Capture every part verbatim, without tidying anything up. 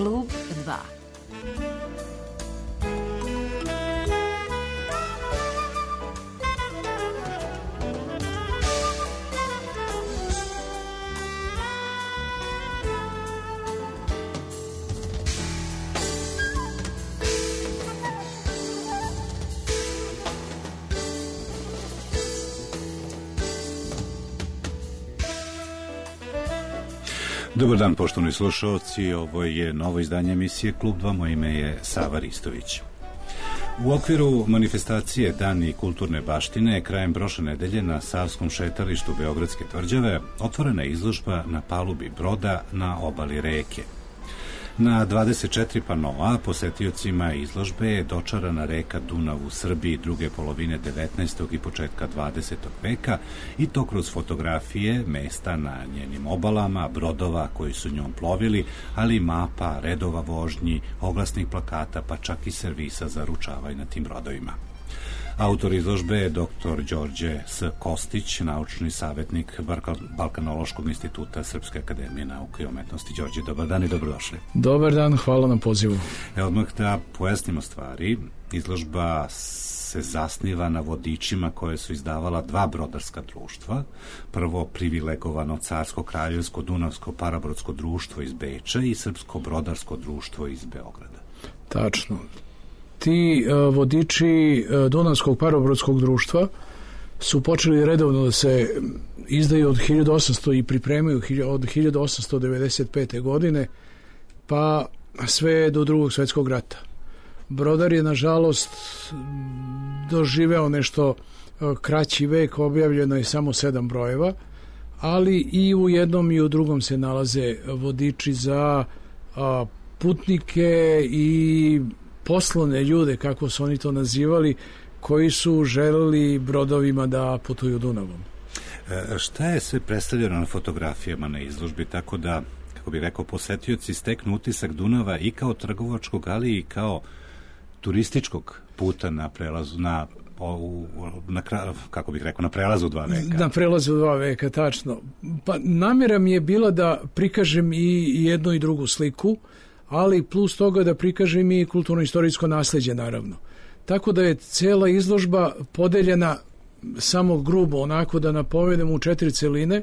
Klub dva. Dobar dan, poštovani slušalci, ovo je novo izdanje emisije Klub dva, moje ime je Sava Ristović. U okviru manifestacije Dani kulturne baštine krajem prošle nedelje na Savskom šetalištu Beogradske tvrđave otvorena je izložba na palubi broda na obali reke. Na dvadeset četiri panoa posetiocima izložbe je dočarana reka Dunav u Srbiji druge polovine devetnaestog i početka dvadesetog veka i to kroz fotografije mesta na njenim obalama, brodova koji su njom plovili, ali i mapa, redova vožnji, oglasnih plakata, pa čak i servisa za ručavaj na tim brodovima. Autor izložbe je doktor Đorđe S. Kostić, naučni savjetnik Balkanološkog instituta Srpske akademije nauke i umetnosti. Đorđe, dobar dan i dobrodošli. Dobar dan, hvala na pozivu. E, odmah da pojasnimo stvari. Izložba se zasniva na vodičima koje su izdavala dva brodarska društva. Prvo privilegovano Carsko kraljevsko Dunavsko parabrodsko društvo iz Beča i Srpsko brodarsko društvo iz Beograda. Tačno. Ti uh, vodiči uh, Dunavskog parobrodskog društva su počeli redovno da se izdaju od hiljadu osamsto i pripremaju od hiljadu osamsto devedeset pete. godine pa sve do drugog svjetskog rata. Brodar je nažalost doživeo nešto uh, kraći vek, objavljeno je samo sedam brojeva, ali i u jednom i u drugom se nalaze vodiči za uh, putnike i poslovne ljude, kako su oni to nazivali, koji su želeli brodovima da putuju Dunavom. E, šta je sve predstavljeno na fotografijama na izložbi, tako da, kako bih rekao, posetioci steknu utisak Dunava i kao trgovačkog, ali i kao turističkog puta na prelazu, na, o, na kako bih rekao, na prelazu dva veka. Na prelazu dva veka, tačno. Pa namjera mi je bila da prikažem i jednu i drugu sliku, ali plus toga da prikažem i kulturno-istorijsko nasljeđe, naravno. Tako da je cela izložba podeljena samo grubo, onako da napomenem, u četiri celine.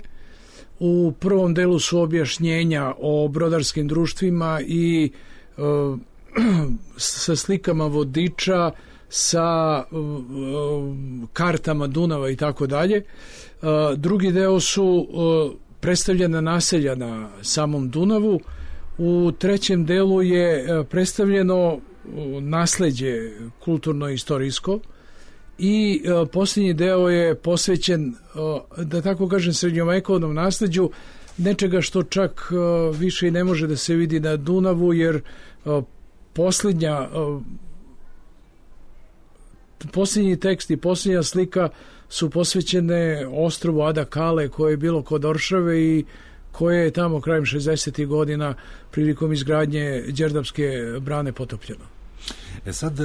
U prvom delu su objašnjenja o brodarskim društvima i e, sa slikama vodiča, sa e, kartama Dunava i tako dalje. Drugi deo su e, predstavljena naselja na samom Dunavu. U trećem delu je predstavljeno nasleđe kulturno-istorijsko i posljednji deo je posvećen, da tako kažem, srednjovekovnom nasleđu, nečega što čak više i ne može da se vidi na Dunavu, jer posljednja posljednji tekst i posljednja slika su posvećene ostrvu Ada Kale, koje je bilo kod Oršave i koje je tamo krajem šezdesetih godina prilikom izgradnje Đerdapske brane potopljeno. E sad,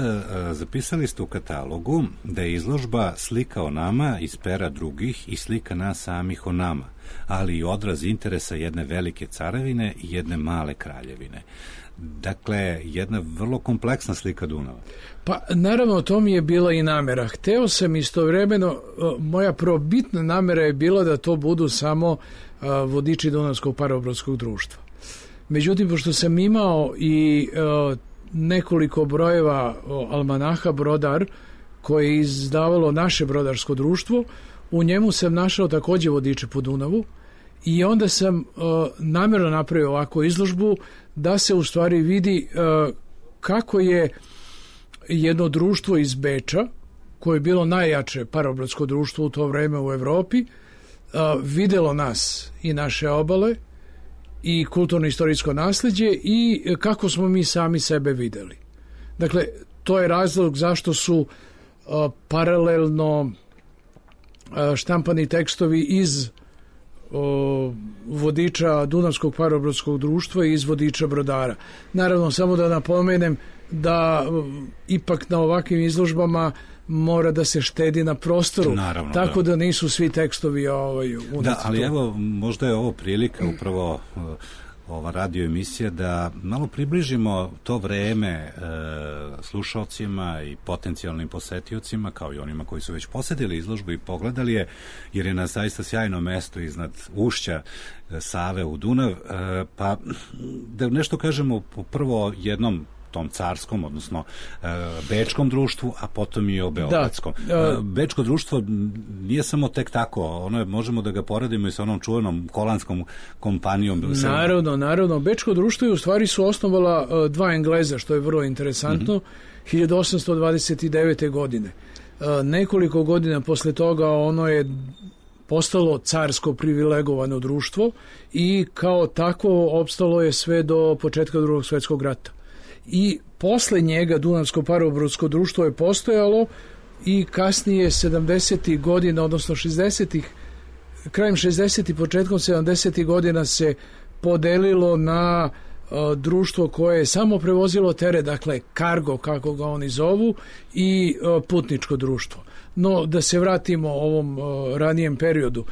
zapisali ste u katalogu da je izložba slika o nama iz pera drugih i slika nas samih o nama, ali i odraz interesa jedne velike carevine i jedne male kraljevine. Dakle, jedna vrlo kompleksna slika Dunava. Pa, naravno, to mi je bila i namera. Hteo sam istovremeno, moja probitna namera je bila da to budu samo vodiči Dunavskog parobrodskog društva. Međutim, pošto sam imao i uh, nekoliko brojeva almanaha Brodar, koje je izdavalo naše brodarsko društvo, u njemu sam našao takođe vodiče po Dunavu i onda sam uh, namjerno napravio ovakvu izložbu da se u stvari vidi uh, kako je jedno društvo iz Beča, koje je bilo najjače parobrodsko društvo u to vreme u Evropi, uh, videlo nas i naše obale i kulturno-istorijsko nasljeđe i kako smo mi sami sebe videli. Dakle, to je razlog zašto su uh, paralelno uh, štampani tekstovi iz uh, vodiča Dunavskog parobrodskog društva i iz vodiča brodara. Naravno, samo da napomenem da uh, ipak na ovakvim izložbama mora da se štedi na prostoru. Naravno, tako da. da nisu svi tekstovi ovaj, u Da, ali evo, možda je ovo prilika upravo ova radio emisija, da malo približimo to vreme e, slušalcima i potencijalnim posetiocima, kao i onima koji su već posetili izložbu i pogledali je, jer je na zaista sjajno mesto iznad ušća Save u Dunav, e, pa da nešto kažemo prvo jednom tom carskom, odnosno e, bečkom društvu, a potom i o beogradskom. Da, uh, Bečko društvo nije samo tek tako, ono je, možemo da ga poredimo i sa onom čuvenom kolanskom kompanijom. Naravno, naravno. Bečko društvo je u stvari su osnovala uh, dva Engleza, što je vrlo interesantno, mm-hmm. hiljadu osamsto dvadeset devete. godine. Uh, nekoliko godina posle toga ono je postalo carsko privilegovano društvo i kao takvo opstalo je sve do početka Drugog svjetskog rata. I posle njega Dunavsko parobrodsko društvo je postojalo i kasnije sedamdesetih godina, odnosno šezdesetih, krajem šezdesetih, početkom sedamdesetih godina se podelilo na uh, društvo koje je samo prevozilo teret, dakle kargo, kako ga oni zovu, i uh, putničko društvo. No, da se vratimo ovom uh, ranijem periodu.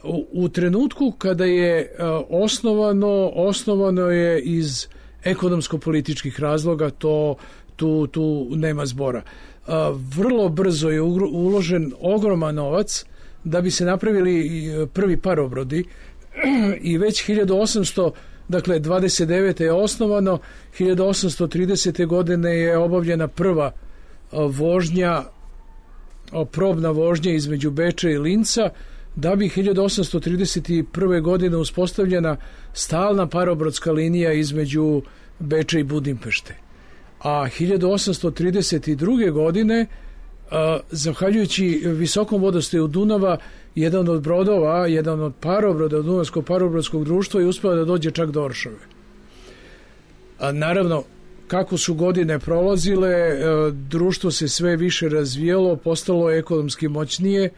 U, u trenutku kada je uh, osnovano, osnovano je iz ekonomsko-političkih razloga, to tu, tu nema zbora. A, vrlo brzo je uložen ogroman novac da bi se napravili prvi parobrodi i već hiljadu osamsto, dakle dvadeset devete je osnovano, hiljadu osamsto tridesete. godine je obavljena prva vožnja, probna vožnja između Beča i Linca, da bi hiljadu osamsto trideset prve. godine uspostavljena stalna parobrodska linija između Beča i Budimpešte. A hiljadu osamsto trideset druge. godine, a, zahvaljujući visokom vodostaju Dunava, jedan od brodova, jedan od parobroda Dunavskog parobrodskog društva je uspeo da dođe čak do Oršave. A, naravno, kako su godine prolazile, a, društvo se sve više razvijalo, postalo je ekonomski moćnije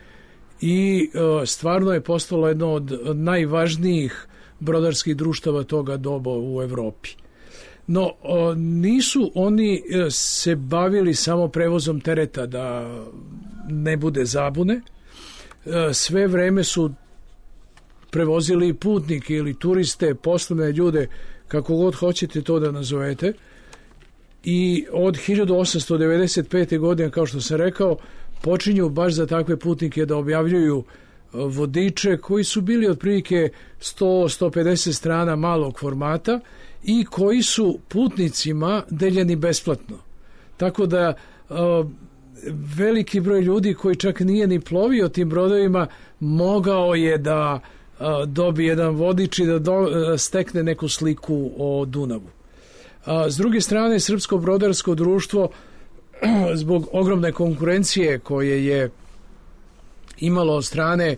i a, stvarno je postalo jedno od najvažnijih brodarskih društava toga doba u Evropi. No, a, nisu oni se bavili samo prevozom tereta, da ne bude zabune. A, sve vreme su prevozili putnike ili turiste, poslovne ljude, kako god hoćete to da nazovete. I od hiljadu osamsto devedeset pete. godine, kao što sam rekao, počinju baš za takve putnike da objavljuju vodiče koji su bili otprilike sto do sto pedeset strana malog formata i koji su putnicima deljeni besplatno. Tako da uh, veliki broj ljudi koji čak nije ni plovio tim brodovima mogao je da uh, dobije jedan vodič i da do, uh, stekne neku sliku o Dunavu. Uh, s druge strane, Srpsko brodarsko društvo zbog ogromne konkurencije koje je imalo od strane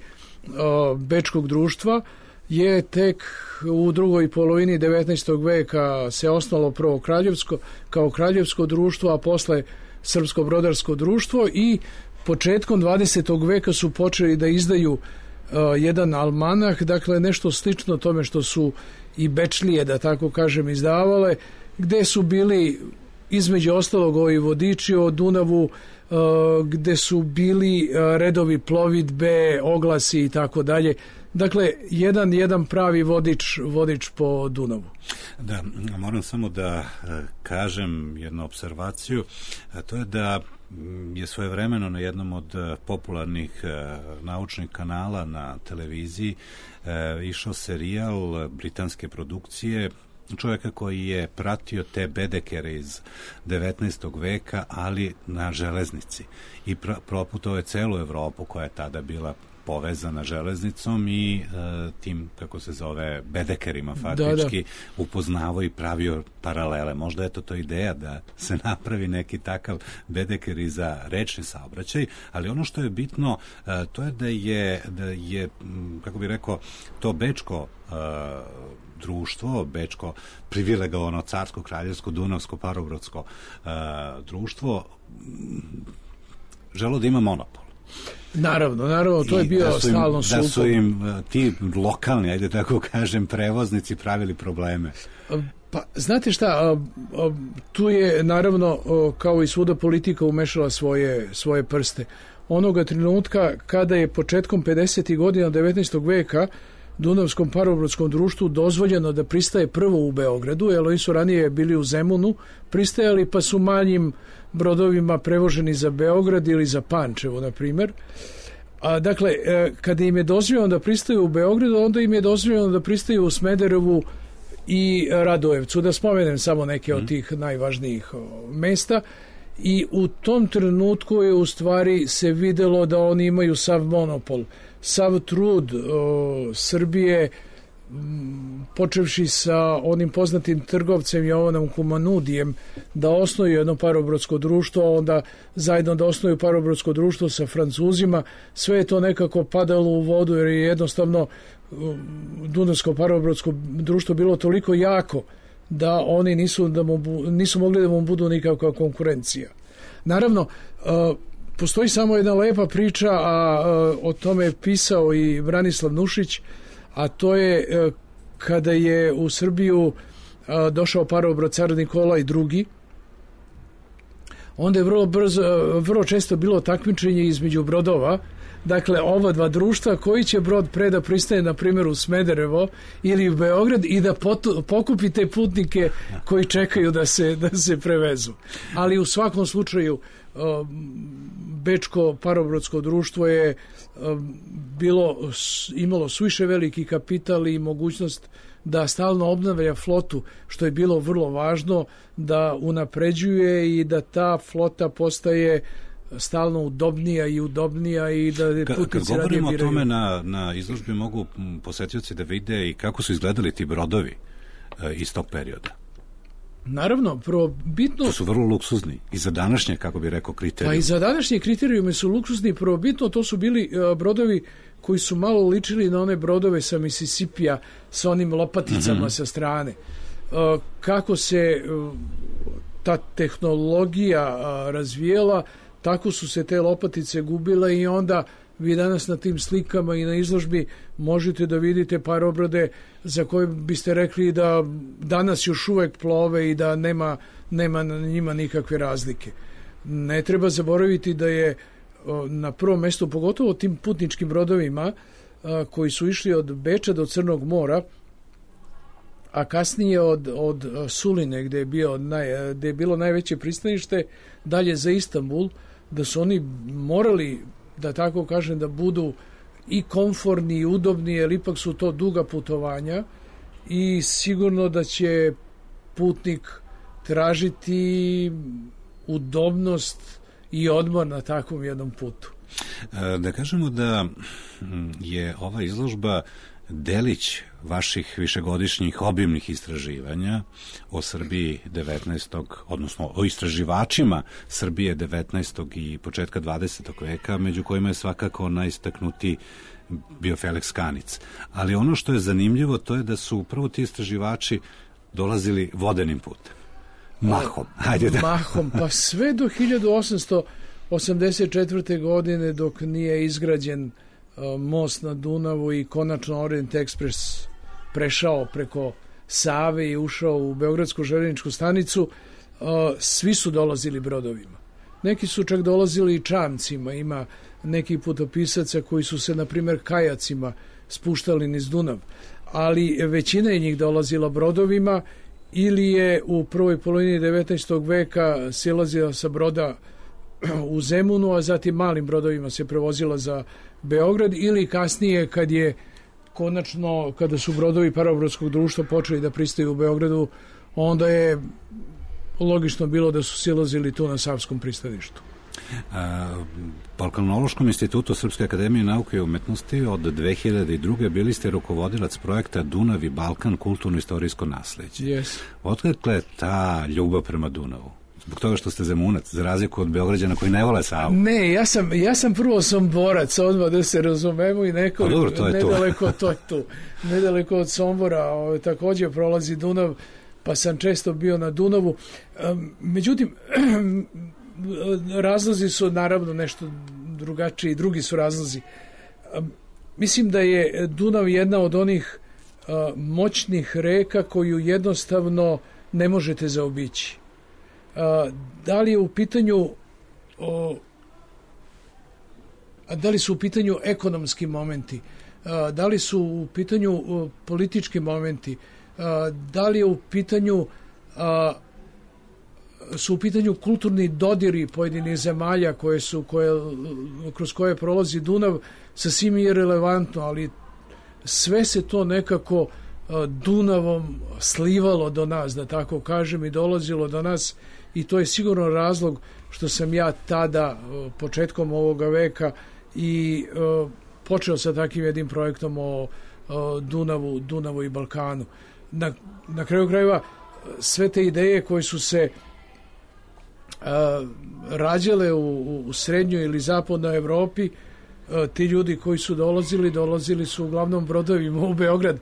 o, Bečkog društva je tek u drugoj polovini devetnaestog veka se osnovalo prvo kraljevsko, kao kraljevsko društvo, a posle Srpsko brodarsko društvo, i početkom dvadesetog veka su počeli da izdaju o, jedan almanah, dakle nešto slično tome što su i Bečlije, da tako kažem, izdavale, gde su bili između ostalog ovi vodiči o Dunavu, uh, gde su bili uh, redovi plovidbe, oglasi i tako dalje. Dakle, jedan jedan pravi vodič, vodič po Dunavu. Da, moram samo da uh, kažem jednu observaciju, a to je da je svojevremeno na jednom od uh, popularnih uh, naučnih kanala na televiziji uh, išao serijal britanske produkcije čovjeka koji je pratio te bedekere iz devetnaestog veka, ali na železnici, i pr- proputovao je celu Evropu koja je tada bila povezana železnicom i e, tim, kako se zove, bedekerima faktički, da, da. upoznavao i pravio paralele. Možda je to to ideja da se napravi neki takav bedeker i za rečni saobraćaj, ali ono što je bitno, e, to je da je, da je, kako bih rekao, to bečko e, društvo, bečko privilegovano carsko, kraljevsko, dunavsko, parobrodsko e, društvo želo da ima monopol. Naravno, naravno, to je bio stalno sukob. Da su im ti lokalni, ajde tako kažem, prevoznici pravili probleme. Pa, znate šta, tu je naravno, kao i svuda, politika umešala svoje, svoje prste. Onoga trenutka kada je početkom pedesetih godina devetnaestog veka Dunavskom parobrodskom društvu dozvoljeno da pristaje prvo u Beogradu, jer oni su ranije bili u Zemunu, pristajali pa su manjim brodovima prevoženi za Beograd ili za Pančevo, na primjer. A, dakle, kada im je dozvoljeno da pristaju u Beogradu, onda im je dozvoljeno da pristaju u Smederevu i Radojevcu. Da spomenem samo neke od tih najvažnijih mesta. I u tom trenutku je u stvari se videlo da oni imaju sav monopol, sav trud o, Srbije, m, počevši sa onim poznatim trgovcem Jovanom Kumanudijem, da osnuju jedno parobrodsko društvo, onda zajedno da osnuju parobrodsko društvo sa Francuzima. Sve je to nekako padalo u vodu, jer je jednostavno Dunavsko parobrodsko društvo bilo toliko jako da oni nisu, da mu, nisu mogli da mu budu nikakva konkurencija. Naravno, uh, postoji samo jedna lepa priča, a uh, o tome je pisao i Branislav Nušić, a to je uh, kada je u Srbiju uh, došao parobrod car Nikolaj drugi. Onda je vrlo brzo, vrlo često bilo takmičenje između brodova. Dakle, ova dva društva, koji će brod pre da pristaje, na primjer, u Smederevo ili u Beograd i da potu, pokupi te putnike koji čekaju da se, da se prevezu. Ali u svakom slučaju, Bečko parobrodsko društvo je bilo, imalo suviše veliki kapital i mogućnost da stalno obnavlja flotu, što je bilo vrlo važno, da unapređuje i da ta flota postaje stalno udobnija i udobnija i da putnici Kad radije biraju. Kad govorimo o tome, na, na izložbi mogu posetioci da vide i kako su izgledali ti brodovi e, iz tog perioda. Naravno, prvo bitno... To su vrlo luksuzni i za današnje, kako bi rekao, kriterijum. Pa i za današnje kriterijume su luksuzni, prvo bitno, to su bili uh, brodovi koji su malo ličili na one brodove sa Mississipija, sa onim lopaticama mm-hmm. sa strane. Uh, kako se uh, ta tehnologija uh, razvijela, tako su se te lopatice gubile i onda vi danas na tim slikama i na izložbi možete da vidite parobrode za koje biste rekli da danas još uvek plove i da nema, nema na njima nikakve razlike. Ne treba zaboraviti da je na prvom mjestu, pogotovo tim putničkim brodovima koji su išli od Beča do Crnog mora, a kasnije od, od Suline, gde je, bio naj, gde je bilo najveće pristanište, dalje za Istanbul, da su oni morali, da tako kažem, da budu i komforni i udobni, jer ipak su to duga putovanja i sigurno da će putnik tražiti udobnost i odmor na takvom jednom putu. Da kažemo da je ova izložba delić vaših višegodišnjih obimnih istraživanja o Srbiji devetnaestog odnosno o istraživačima Srbije devetnaestog i početka dvadesetog veka, među kojima je svakako najistaknutiji bio Feleks Kanic. Ali ono što je zanimljivo, to je da su upravo ti istraživači dolazili vodenim putem. Mahom. Hajde da. Mahom, pa sve do hiljadu osamsto osamdeset četvrte. godine, dok nije izgrađen most na Dunavu i konačno Orient Express prešao preko Save i ušao u Beogradsku železničku stanicu, svi su dolazili brodovima. Neki su čak dolazili i čamcima, ima nekih putopisaca koji su se, na primjer, kajacima spuštali niz Dunav, ali većina je njih dolazila brodovima ili je u prvoj polovini devetnaestog veka silazila sa broda u Zemunu, a zatim malim brodovima se prevozila za Beograd, ili kasnije kad je konačno, kada su brodovi parobrodskog društva počeli da pristaju u Beogradu, onda je logično bilo da su silazili tu na Savskom pristaništu. Po Balkanološkom institutu Srpske akademije nauke i umetnosti od dve hiljade druge. bili ste rukovodilac projekta Dunav i Balkan, kulturno-istorijsko nasleđe. Yes. Otkakle je ta ljubav prema Dunavu? Zbog toga što ste Zemunac, za razliku od Beograđana koji ne vole Savu. Ne, ja sam, ja sam prvo Somborac, odmah da se razumemo, i neko dobro, to je nedaleko, to je tu. Nedaleko od Sombora o, također prolazi Dunav, pa sam često bio na Dunavu. Međutim, razlozi su naravno nešto drugačiji, drugi su razlozi. Mislim da je Dunav jedna od onih moćnih reka koju jednostavno ne možete zaobići. Da li je u pitanju o, da li su u pitanju ekonomski momenti, da li su u pitanju politički momenti, da li je u pitanju su u pitanju kulturni dodiri pojedinih zemalja koje su, koje, kroz koje prolazi Dunav, sasvim je relevantno, ali sve se to nekako Dunavom slivalo do nas, da tako kažem, i dolazilo do nas, i to je sigurno razlog što sam ja tada, početkom ovoga veka, i počeo sa takvim jednim projektom o Dunavu, Dunavu i Balkanu. Na, na kraju krajeva, sve te ideje koje su se rađale u, u srednjoj ili zapadnoj Evropi, ti ljudi koji su dolazili, dolazili su uglavnom brodovima u Beograd,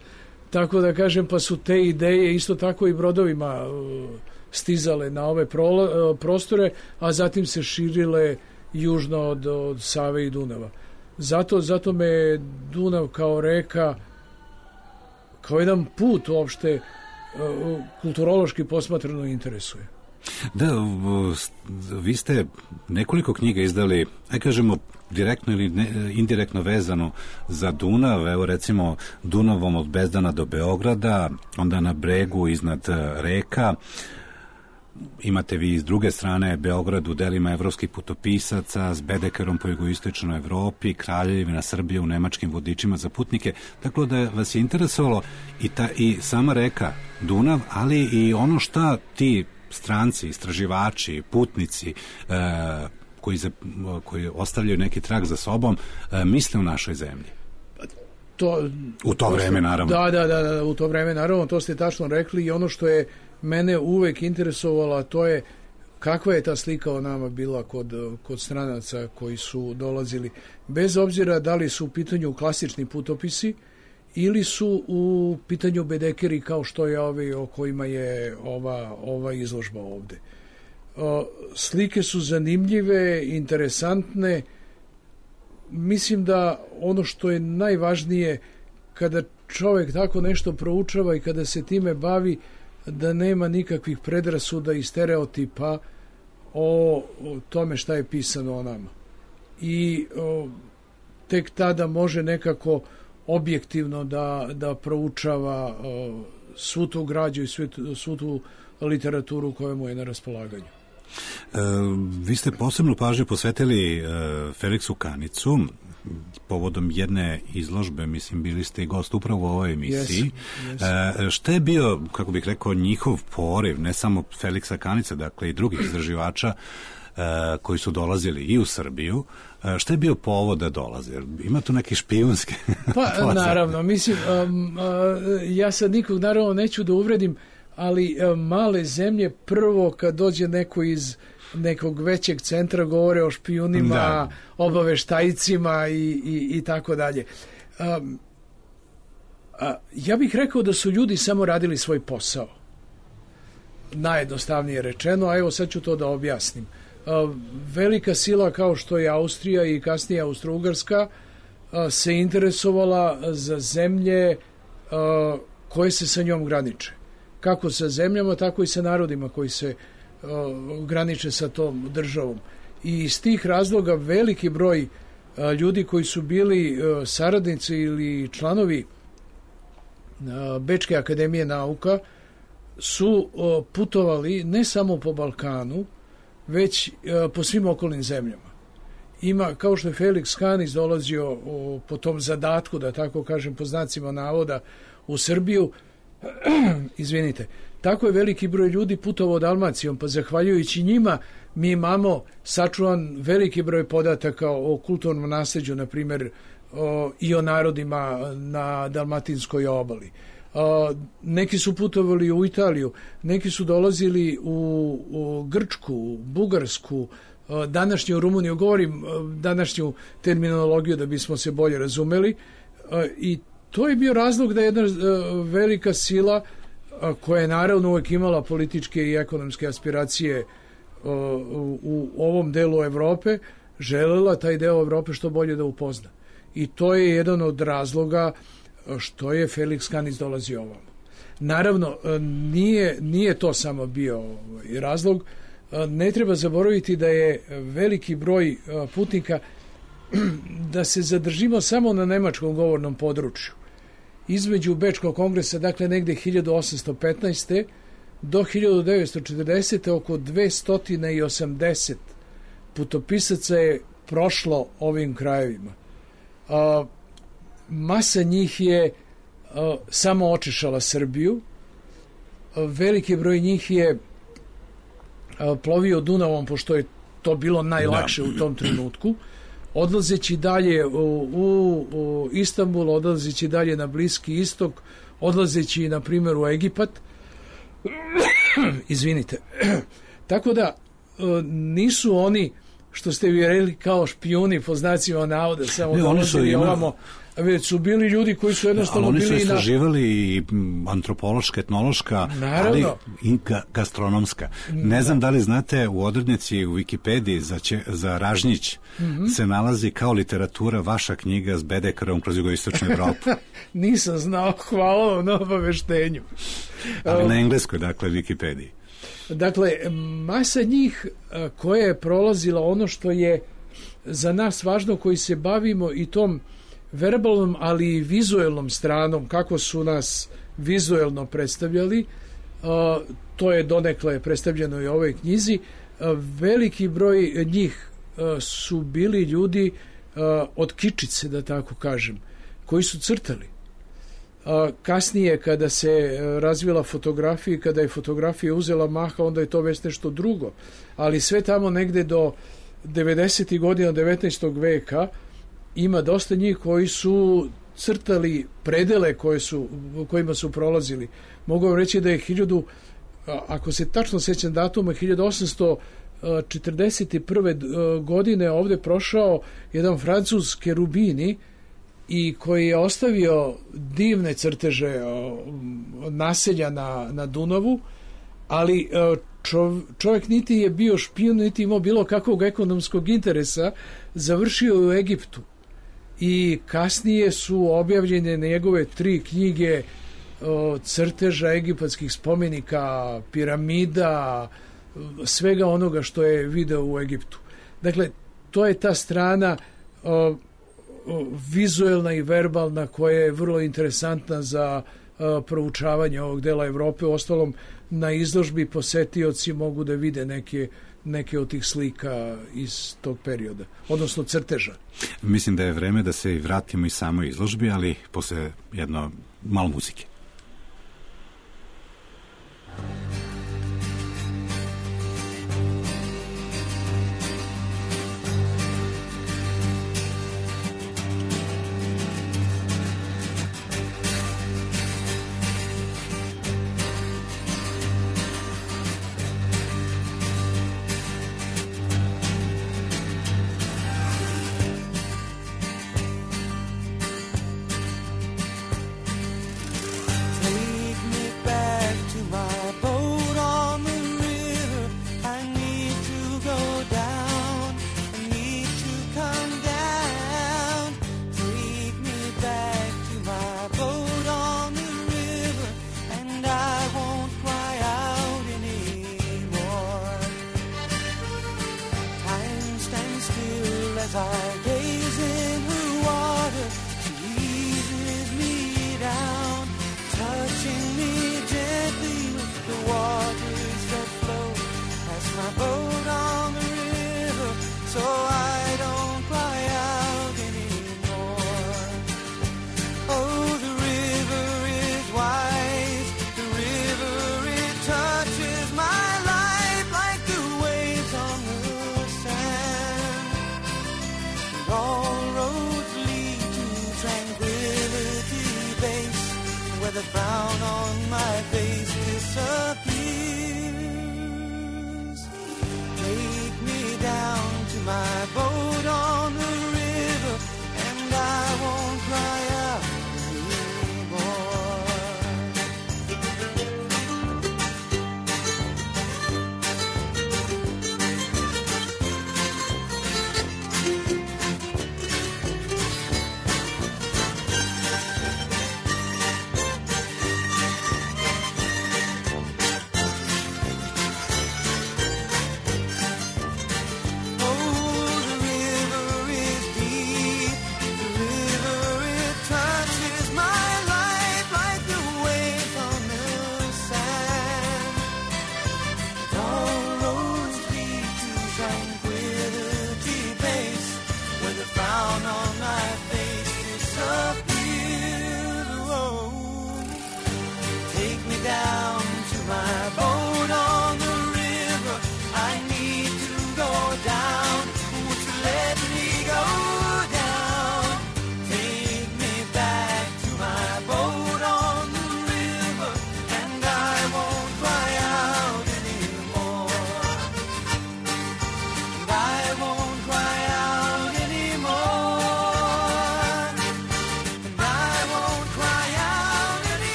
tako da kažem, pa su te ideje isto tako i brodovima stizale na ove prostore, a zatim se širile južno od, od Save i Dunava. Zato, zato me Dunav kao reka, kao jedan put uopšte kulturološki posmatrano interesuje. Da, vi ste nekoliko knjiga izdali, aj kažemo, direktno ili ne, indirektno vezano za Dunav, evo recimo Dunavom od Bezdana do Beograda, onda na bregu iznad reka. Imate vi s druge strane Beograd u delima evropskih putopisaca, s Bedekerom po jugoistočnoj Evropi, Kraljevina Srbije u nemačkim vodičima za putnike. Tako da vas je interesovalo i, ta, i sama reka Dunav, ali i ono šta ti stranci, istraživači, putnici e, koji, za, koji ostavljaju neki trag za sobom, e, misle u našoj zemlji. To, u to, to vreme, naravno. Da, da, da, da, u to vreme, naravno, to ste tačno rekli, i ono što je mene uvek interesovalo, a to je kakva je ta slika o nama bila kod, kod stranaca koji su dolazili, bez obzira da li su u pitanju klasični putopisi ili su u pitanju bedekeri kao što je ovi o kojima je ova, ova izložba ovde. O, slike su zanimljive, interesantne. Mislim da ono što je najvažnije kada čovjek tako nešto proučava i kada se time bavi, da nema nikakvih predrasuda i stereotipa o, o tome šta je pisano o nama. I o, tek tada može nekako objektivno da, da proučava o, svu tu građu i svu, svu tu literaturu koja mu je na raspolaganju. E, vi ste posebnu pažnju posvetili e, Feliksu Kanicu povodom jedne izložbe, mislim, bili ste i gost upravo u ovoj emisiji. Yes, yes. E, šta je bio, kako bih rekao, njihov poriv, ne samo Feliksa Kanice, dakle i drugih istraživača e, koji su dolazili i u Srbiju, e, šta je bio povod da dolaze? Ima tu neke špijunske? Pa, naravno, mislim, um, uh, ja sad nikog naravno neću da uvredim, ali uh, male zemlje, prvo kad dođe neko iz nekog većeg centra, govore o špijunima, da, obaveštajcima i, i, i tako dalje. Um, a, ja bih rekao da su ljudi samo radili svoj posao. Najjednostavnije rečeno, a evo sad ću to da objasnim. A, velika sila kao što je Austrija i kasnije Austro-Ugarska a, se interesovala za zemlje a, koje se sa njom graniče. Kako sa zemljama, tako i sa narodima koji se graniče sa tom državom. I iz tih razloga veliki broj ljudi koji su bili saradnici ili članovi Bečke akademije nauka su putovali ne samo po Balkanu, već po svim okolnim zemljama. Ima, kao što je Felix Kanić dolazio po tom zadatku, da tako kažem, po znacima navoda, u Srbiju, izvinite, tako je veliki broj ljudi putovao Dalmacijom, pa zahvaljujući njima mi imamo sačuvan veliki broj podataka o kulturnom nasleđu, na primjer, o, i o narodima na Dalmatinskoj obali. O, neki su putovali u Italiju, neki su dolazili u, u Grčku, Bugarsku, o, današnju Rumuniju, govorim današnju terminologiju da bismo se bolje razumeli, o, i to je bio razlog da je jedna o, velika sila koja je naravno uvijek imala političke i ekonomske aspiracije u, u ovom delu Evrope, želela taj deo Evrope što bolje da upozna. I to je jedan od razloga što je Felix Kanić dolazio ovamo. Naravno, nije, nije to samo bio razlog. Ne treba zaboraviti da je veliki broj putnika da se zadržimo samo na nemačkom govornom području. Između Bečkog kongresa, dakle negde hiljadu osamsto petnaeste. do hiljadu devetsto četrdesete. oko dvesta osamdeset putopisaca je prošlo ovim krajevima. A, masa njih je a, samo očešala Srbiju. A, veliki broj njih je a, plovio Dunavom, pošto je to bilo najlakše da. u tom trenutku. Odlazeći dalje u, u, u Istanbul, odlazeći dalje na Bliski istok, odlazeći, na primjer, u Egipat. Izvinite. Tako da nisu oni, što ste vi rekli, kao špijuni po znacima navoda, samo ne, oni su ima... ovamo, već su bili ljudi koji su jednostavno ali bili... oni su istraživali na... i antropološka, etnološka, Naravno. ali i ga, gastronomska. Ne znam da li znate, u odrednici u Wikipediji za, će, za Ražnjić mm-hmm. se nalazi kao literatura vaša knjiga s Bedekarom kroz jugoistočnu Evropu. Nisam znao, hvala vam na obaveštenju. Ali na engleskoj, dakle, Wikipediji. Dakle, masa njih koja je prolazila ono što je za nas važno, koji se bavimo i tom verbalnom, ali i vizuelnom stranom, kako su nas vizuelno predstavljali, to je donekle predstavljeno i u ovoj knjizi. Veliki broj njih su bili ljudi od kičice, da tako kažem, koji su crtali. Kasnije, kada se razvila fotografija, kada je fotografija uzela maha, onda je to već nešto drugo. Ali sve tamo negde do devedesetih godina devetnaestog veka ima dosta njih koji su crtali predele koje su, kojima su prolazili. Mogu vam reći da je hiljadu, ako se tačno sećam datuma, hiljadu osamsto četrdeset prve godine ovde prošao jedan Francuz Cherubini, i koji je ostavio divne crteže naselja na, na Dunavu, ali čovjek niti je bio špijun, niti imao bilo kakvog ekonomskog interesa, završio u Egiptu. I kasnije su objavljene njegove tri knjige crteža egipatskih spomenika, piramida, svega onoga što je video u Egiptu. Dakle, to je ta strana vizuelna i verbalna koja je vrlo interesantna za uh, proučavanje ovog dela Evrope. Ostalom, na izložbi posetioci mogu da vide neke, neke od tih slika iz tog perioda, odnosno crteža. Mislim da je vreme da se vratimo i samoj izložbi, ali posle jedno malo muzike.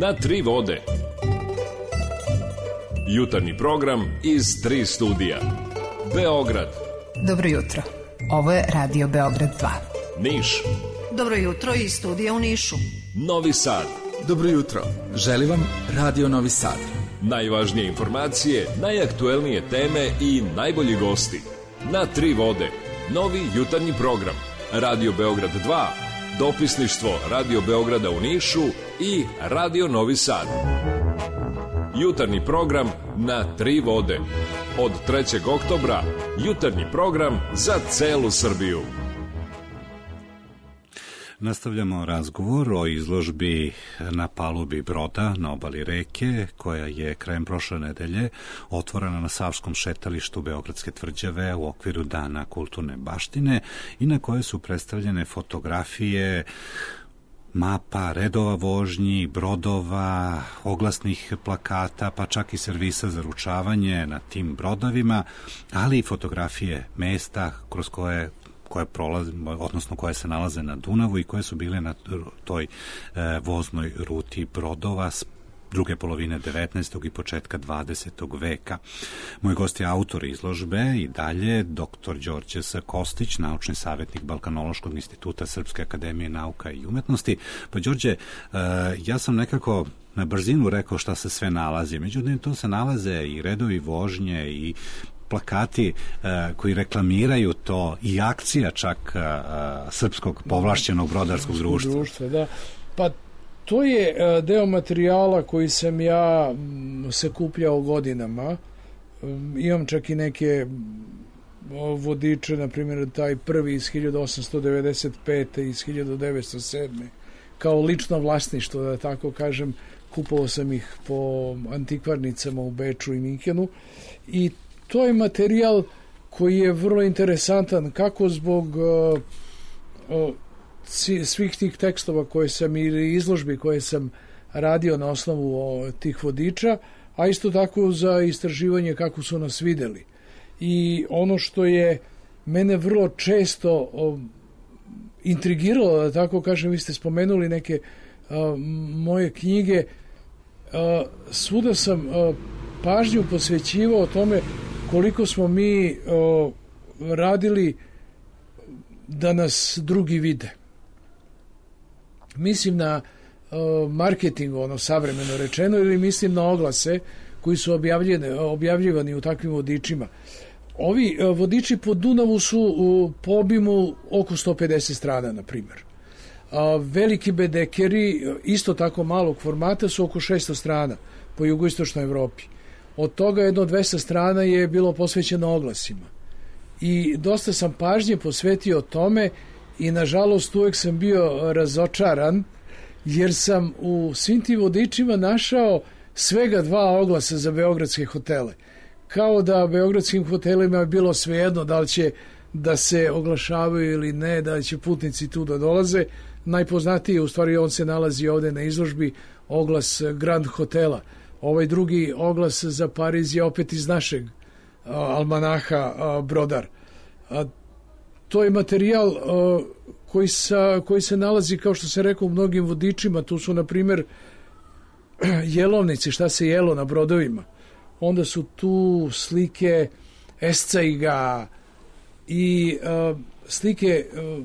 na tri vode. Jutarnji program iz tri studija. Beograd. Dobro jutro. Ovo je Radio Beograd dva. Niš. Dobro jutro iz studija u Nišu. Novi Sad. Dobro jutro. Želim vam Radio Novi Sad. Najvažnije informacije, najaktuelnije teme i najbolji gosti. Na tri vode. Novi jutarnji program. Radio Beograd dva. Dopisništvo Radio Beograda u Nišu i Radio Novi Sad. Jutarnji program na tri vode. Od trećeg oktobra jutarnji program za celu Srbiju. Nastavljamo razgovor o izložbi na palubi broda na obali reke, koja je krajem prošle nedelje otvorena na Savskom šetalištu Beogradske tvrđave u okviru Dana kulturne baštine i na kojoj su predstavljene fotografije mapa, redova vožnji, brodova, oglasnih plakata, pa čak i servisa za ručavanje na tim brodovima, ali i fotografije mesta kroz koje koje prolaze, odnosno koje se nalaze na Dunavu i koje su bile na toj e, voznoj ruti brodova s druge polovine devetnaestog i početka dvadesetog veka. Moj gost je autor izložbe i dalje doktor Đorđe S. Kostić, naučni savjetnik Balkanološkog instituta Srpske akademije nauka i umetnosti. Pa Đorđe, e, ja sam nekako na brzinu rekao šta se sve nalazi, međutim to se nalaze i redovi vožnje i plakati uh, koji reklamiraju to i akcija čak uh, srpskog povlašćenog brodarskog društva. društva da. Pa to je uh, deo materijala koji sam ja um, sakupljao godinama. Um, imam čak i neke um, vodiče, na primjer taj prvi iz hiljadu osamsto devedeset pete iz hiljadu devetsto sedme kao lično vlasništvo, da tako kažem. Kupovao sam ih po antikvarnicama u Beču i Minkenu i to je materijal koji je vrlo interesantan kako zbog uh, uh, svih tih tekstova koje sam ili izložbi koje sam radio na osnovu uh, tih vodiča, a isto tako za istraživanje kako su nas videli. I ono što je mene vrlo često uh, intrigiralo, da tako kažem, vi ste spomenuli neke uh, moje knjige, uh, svuda sam uh, pažnju posvećivao tome koliko smo mi o, radili da nas drugi vide. Mislim na o, marketing, ono savremeno rečeno, ili mislim na oglase koji su objavljivani u takvim vodičima. Ovi o, vodiči po Dunavu su u, po obimu oko sto pedeset strana, na primjer. A, veliki bedekeri, isto tako malog formata, su oko šesto strana po jugoistočnoj Evropi. Od toga jedno dvesta strana je bilo posvećeno oglasima. I dosta sam pažnje posvetio tome i nažalost uvek sam bio razočaran jer sam u svim tim vodičima našao svega dva oglasa za beogradske hotele. Kao da beogradskim hotelima je bilo svejedno da li će da se oglašavaju ili ne, da li će putnici tu da dolaze. Najpoznatiji, u stvari on se nalazi ovde na izložbi, oglas Grand Hotela. Ovaj drugi oglas za Pariz je opet iz našeg a, almanaha a, Brodar. A, to je materijal a, koji, sa, koji se nalazi, kao što se rekao, u mnogim vodičima. Tu su, na primjer, jelovnici, šta se jelo na brodovima. Onda su tu slike escajga i a, slike a,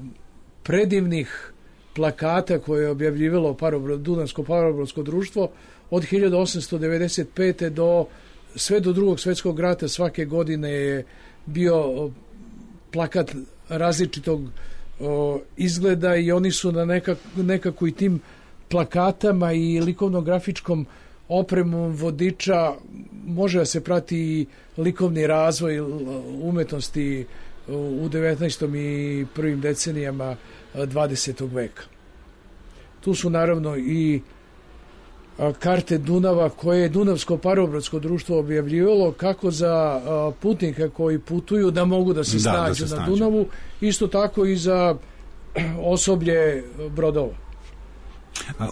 predivnih plakata koje je objavljivalo Parobrod, Dunavsko parobrodsko društvo od hiljadu osamsto devedeset pete do sve do drugog svjetskog rata. Svake godine je bio plakat različitog o, izgleda i oni su na nekak, nekako i tim plakatama i likovno-grafičkom opremom vodiča može da se prati i likovni razvoj umetnosti u devetnaestom i prvim decenijama dvadesetog veka. Tu su naravno i karte Dunava koje je Dunavsko parobrodsko društvo objavljivalo kako za putnike koji putuju da mogu da se da, snađu da se na snađu. Dunavu, isto tako i za osoblje brodova.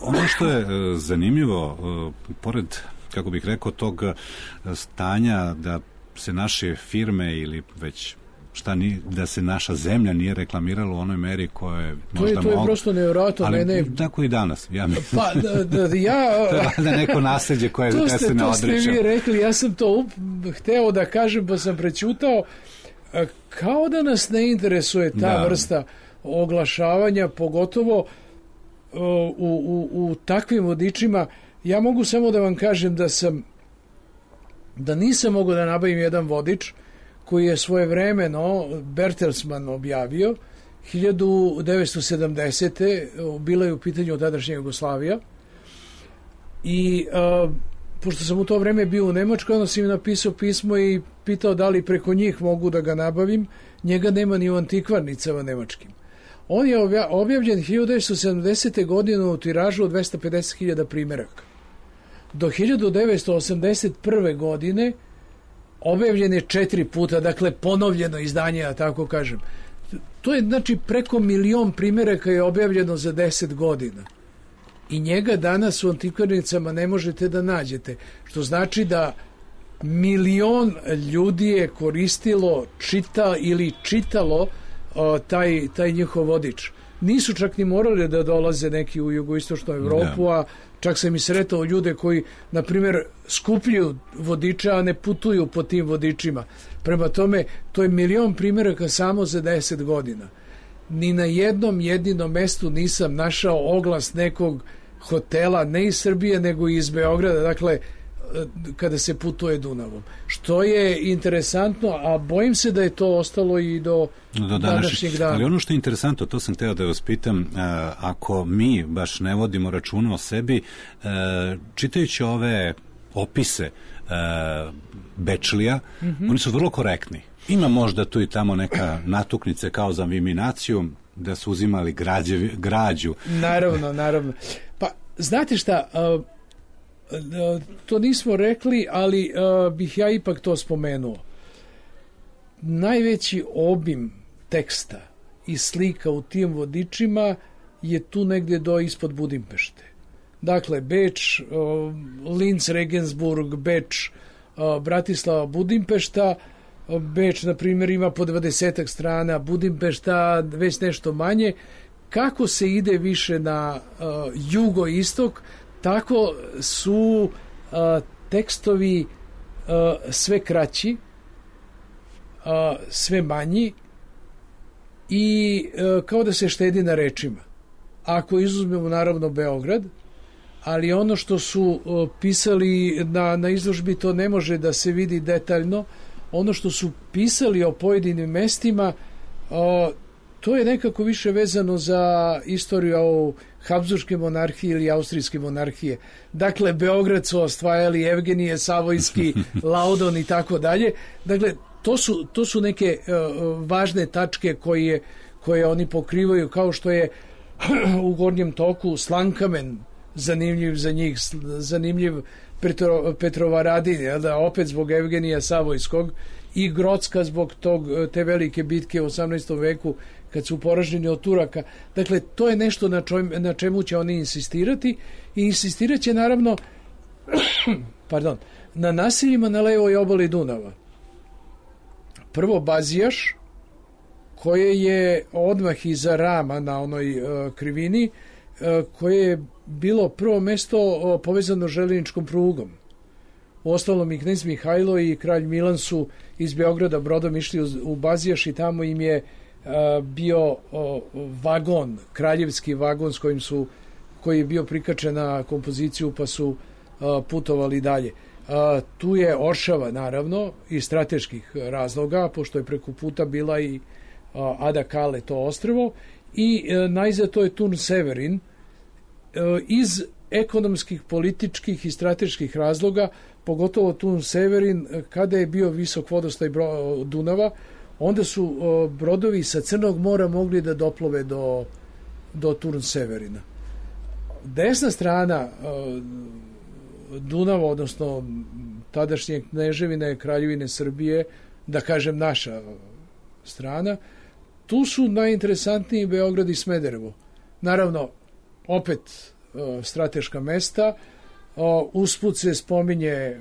Ono što je zanimljivo, pored, kako bih rekao, tog stanja da se naše firme ili već šta ni, da se naša zemlja nije reklamirala u onoj meri koja je možda to je, to je mogu, prosto nevjerojatno. ali mene... tako i danas. Ja mislim. Pa, da, da, ja... to je da neko nasljeđe koje to ste, ste, se ne to odrećemo. ste vi rekli, ja sam to up, hteo da kažem, pa sam prećutao. Kao da nas ne interesuje ta da. vrsta oglašavanja, pogotovo u, u, u takvim vodičima. Ja mogu samo da vam kažem da sam da nisam mogao da nabavim jedan vodič koji je svojevremeno Bertelsmann objavio hiljadu devetsto sedamdesete. bila je u pitanju tadašnja Jugoslavija i a, pošto sam u to vreme bio u Nemačkoj, onda sam im napisao pismo i pitao da li preko njih mogu da ga nabavim. Njega nema ni u antikvarnicama nemačkim. On je objavljen hiljadu devetsto sedamdesete. godine u tiražu od dvesta pedeset hiljada primjeraka. Do hiljadu devetsto osamdeset prve. godine objavljen je četiri puta, dakle ponovljeno izdanje, ja tako kažem. To je znači preko milion primjeraka je objavljeno za deset godina. I njega danas u antikvarnicama ne možete da nađete. Što znači da milion ljudi je koristilo, čita ili čitalo o, taj, taj njihov vodič. Nisu čak ni morali da dolaze neki u jugoistočnu Evropu, a čak sam i sretao ljude koji, na primjer, skupljaju vodiča, a ne putuju po tim vodičima. Prema tome, to je milion primjeraka samo za deset godina. Ni na jednom jedinom mestu nisam našao oglas nekog hotela, ne iz Srbije, nego iz Beograda, dakle, kada se putuje Dunavom. Što je interesantno, a bojim se da je to ostalo i do, do današnjeg dana. Ali ono što je interesantno, to sam teo da vas pitam, ako mi baš ne vodimo računa o sebi, čitajući ove opise Bečlija, mm-hmm. oni su vrlo korektni. Ima možda tu i tamo neka natuknice kao za viminaciju, da su uzimali građevi, građu. Naravno, naravno. Pa, znate šta, uh, uh, to nismo rekli, ali uh, bih ja ipak to spomenuo. Najveći obim teksta i slika u tim vodičima je tu negdje do ispod Budimpešte. Dakle, Beč, uh, Linz, Regensburg, Beč, uh, Bratislava, Budimpešta. Beč, na primjer, ima po dvadesetak strana, Budimpešta već nešto manje. Kako se ide više na uh, jugoistok, tako su uh, tekstovi uh, sve kraći, uh, sve manji i uh, kao da se štedi na rečima. Ako izuzmemo naravno Beograd, ali ono što su uh, pisali na, na izložbi, to ne može da se vidi detaljno. Ono što su pisali o pojedinim mestima, o, to je nekako više vezano za istoriju o Habsburške monarhije ili Austrijske monarhije. Dakle, Beograd su osvajali Evgenije, Savojski, Laudon i tako dalje. Dakle, to su, to su neke uh, važne tačke koje, koje oni pokrivaju, kao što je u Gornjem toku Slankamen, zanimljiv za njih, zanimljiv Petro, Petrovaradin, da, opet zbog Evgenija Savojskog, i Grocka zbog tog, te velike bitke u osamnaestom veku kad su poraženi od Turaka. Dakle, to je nešto na, čoj, na čemu će oni insistirati i insistirat će naravno pardon, na nasiljima na levoj obali Dunava. Prvo Bazijaš, koje je odmah iza Rama na onoj uh, krivini, uh, koje je bilo prvo mesto uh, povezano željezničkom prugom. Uostalom i knez Mihajlo i kralj Milan su iz Beograda brodom išli u, u Bazijaš i tamo im je uh, bio uh, vagon, kraljevski vagon s kojim su, koji je bio prikačen na kompoziciju, pa su uh, putovali dalje. Uh, tu je Oršava, naravno, iz strateških razloga, pošto je preko puta bila i uh, Ada Kale, to ostrvo, i uh, najzad to je Turn Severin. Uh, iz ekonomskih, političkih i strateških razloga, pogotovo Turn Severin, kada je bio visok vodostaj Dunava, onda su uh, brodovi sa Crnog mora mogli da doplove do, do Turn Severina. Desna strana uh, Dunava, odnosno tadašnje kneževine, kraljevine Srbije, da kažem naša strana, tu su najinteresantniji Beograd i Smederevo. Naravno, opet uh, strateška mesta, uh, usput se spominje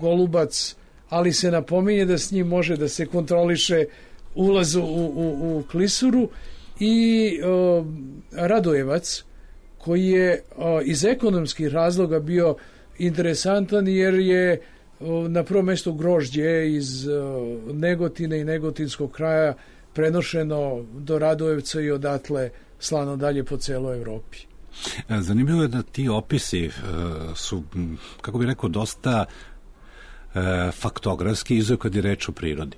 Golubac, ali se napominje da s njim može da se kontroliše ulaz u, u, u klisuru, i o, Radojevac, koji je o, iz ekonomskih razloga bio interesantan, jer je o, na prvom mjestu grožđe iz o, Negotine i Negotinskog kraja prenošeno do Radojevca i odatle slano dalje po celoj Evropi. Zanimljivo je da ti opisi uh, su, kako bih rekao, dosta uh, faktografski, izuzev kad je reč o prirodi.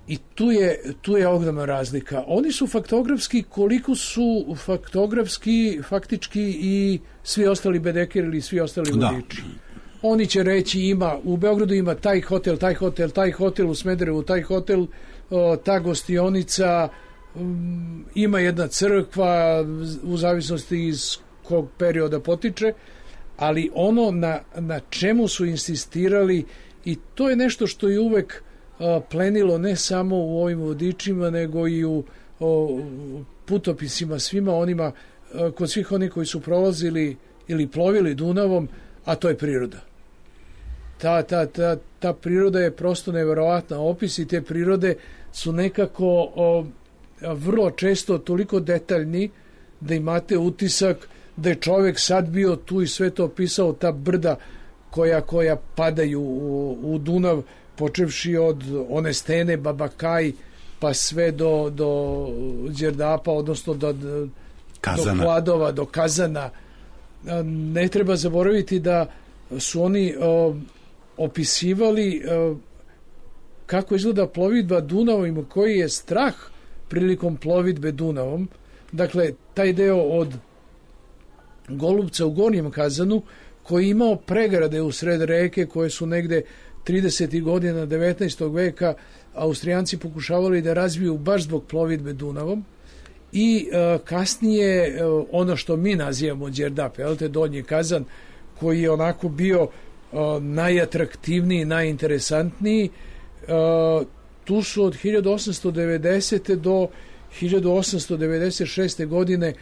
I tu je, tu je ogromna razlika. Oni su faktografski koliko su faktografski faktički i svi ostali bedekeri ili svi ostali vodiči. Oni će reći ima, u Beogradu ima taj hotel, taj hotel, taj hotel, u Smederevu taj hotel, o, ta gostionica, um, ima jedna crkva, u zavisnosti iz kog perioda potiče, ali ono na, na čemu su insistirali, i to je nešto što je uvek plenilo ne samo u ovim vodičima, nego i u o, putopisima svima onima, kod svih onih koji su prolazili ili plovili Dunavom, a to je priroda. Ta, ta, ta, ta priroda je prosto neverovatna. Opisi te prirode su nekako o, vrlo često toliko detaljni da imate utisak da je čovjek sad bio tu i sve to opisao, ta brda koja, koja padaju u, u Dunav, počevši od one stene Babakaj pa sve do, do Đerdapa, odnosno do, do Kladova, do Kazana. Ne treba zaboraviti da su oni o, opisivali o, kako izgleda plovidba Dunavom, koji je strah prilikom plovidbe Dunavom. Dakle, taj deo od Golubca u Gornjem Kazanu, koji je imao pregrade u sred reke koje su negde tridesetih godina devetnaestog veka Austrijanci pokušavali da razviju baš zbog plovidbe Dunavom, i uh, kasnije uh, ono što mi nazivamo Đerdap, jel te, Donji Kazan, koji je onako bio uh, najatraktivniji, najinteresantniji. Uh, tu su od hiljadu osamsto devedesete do hiljadu osamsto devedeset šeste godine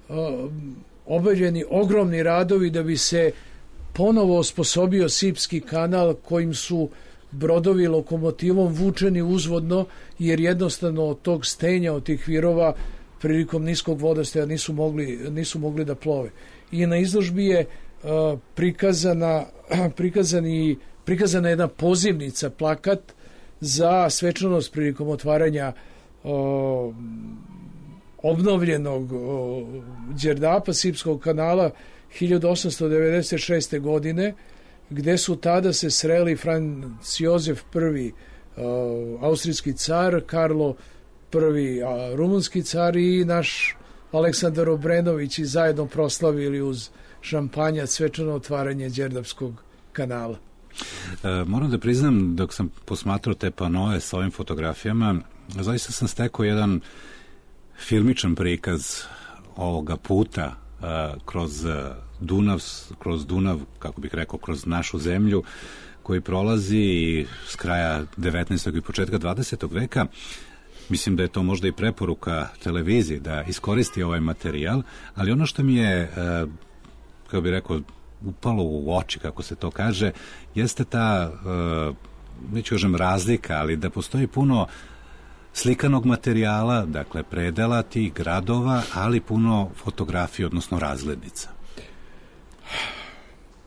uh, obavljeni ogromni radovi da bi se ponovo osposobio Sipski kanal, kojim su brodovi lokomotivom vučeni uzvodno, jer jednostavno od tog stenja, od tih virova prilikom niskog vodostaja nisu mogli, nisu mogli da plove. I na izložbi je uh, prikazana, prikazani, prikazana jedna pozivnica, plakat za svečanost prilikom otvaranja uh, obnovljenog uh, Đerdapa, Sipskog kanala hiljadu osamsto devedeset šeste godine, gde su tada se sreli Franc Jozef prvi, uh, austrijski car, Karlo prvi, uh, rumunski car, i naš Aleksandar Obrenović, i zajedno proslavili uz šampanjac svečano otvaranje Đerdapskog kanala. E, moram da priznam, dok sam posmatrao te panoe sa ovim fotografijama, zaista sam stekao jedan filmičan prikaz ovoga puta kroz Dunav, kroz Dunav, kako bih rekao, kroz našu zemlju, koji prolazi s kraja devetnaestog i početka dvadesetog veka. Mislim da je to možda i preporuka televiziji da iskoristi ovaj materijal, ali ono što mi je, kako bih rekao, upalo u oči, kako se to kaže, jeste ta, neću kažem razlika, ali da postoji puno slikanog materijala, dakle predela tih gradova, ali puno fotografija, odnosno razglednica.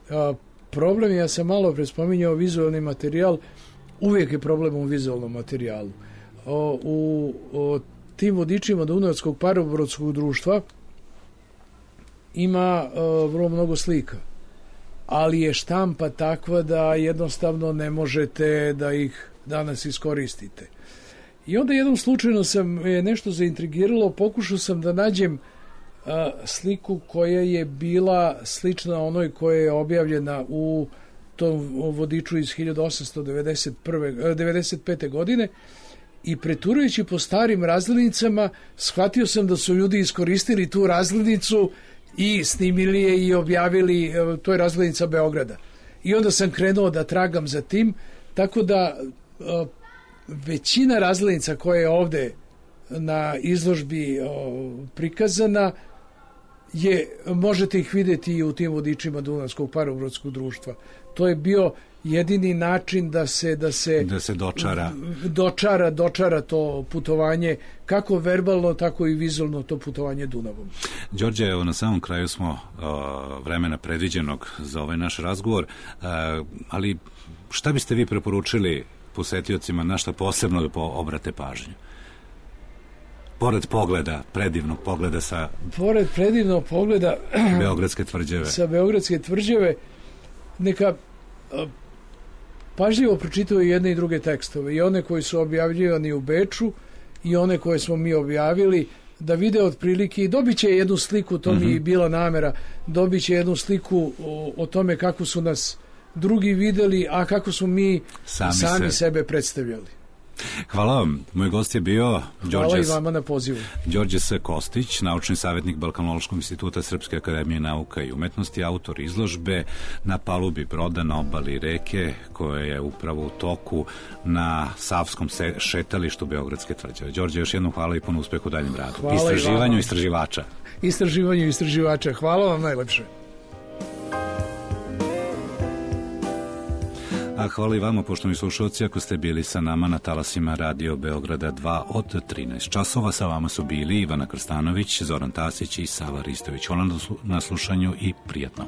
A, problem, ja sam malo pre spominjao vizualni materijal, uvijek je problem u vizualnom materijalu. O, u o, tim vodičima Dunavskog parobrodskog društva ima o, vrlo mnogo slika, ali je štampa takva da jednostavno ne možete da ih danas iskoristite. I onda jednom slučajno sam je nešto zaintrigiralo, pokušao sam da nađem a, sliku koja je bila slična onoj koja je objavljena u tom vodiču iz hiljadu osamsto devedeset pete. godine, i preturujući po starim razglednicama shvatio sam da su ljudi iskoristili tu razglednicu i snimili je i objavili, to je razglednica Beograda. I onda sam krenuo da tragam za tim, tako da a, većina razglednica koja je ovde na izložbi o, prikazana je, možete ih vidjeti i u tim vodičima Dunavskog parobrodskog društva. To je bio jedini način da se da se, da se dočara. dočara dočara to putovanje, kako verbalno, tako i vizualno to putovanje Dunavom. Đorđe, evo na samom kraju smo uh, vremena predviđenog za ovaj naš razgovor, uh, ali šta biste vi preporučili posetiocima, na šta posebno da obrate pažnju? Pored pogleda, predivnog pogleda sa... Pored predivnog pogleda... Beogradske tvrđave. Sa Beogradske tvrđave, neka pažljivo pročitaju jedne i druge tekstove, i one koji su objavljivani u Beču i one koje smo mi objavili, da vide otprilike i dobit će jednu sliku, to mi je bila namera, dobit će jednu sliku o, o tome kako su nas drugi videli, a kako su mi sami, sami se. sebe predstavljali. Hvala vam. Moj gost je bio Hvala Đorđe, i vama na pozivu. Đorđe S. Kostić, naučni savjetnik Balkanološkog instituta Srpske akademije nauka i umetnosti, autor izložbe Na palubi broda na obali reke, koja je upravo u toku na Savskom šetalištu Beogradske tvrđave. Đorđe, još jednom hvala i puno uspeha u daljem radu. Hvala istraživanju istraživača. Istraživanju istraživača. Hvala vam najlepše. A hvala i vama, poštovani slušalci, ako ste bili sa nama na talasima Radio Beograda dva od trinaest časova. Sa vama su bili Ivana Krstanović, Zoran Tasić i Sava Ristović. Hvala na slušanju i prijatno.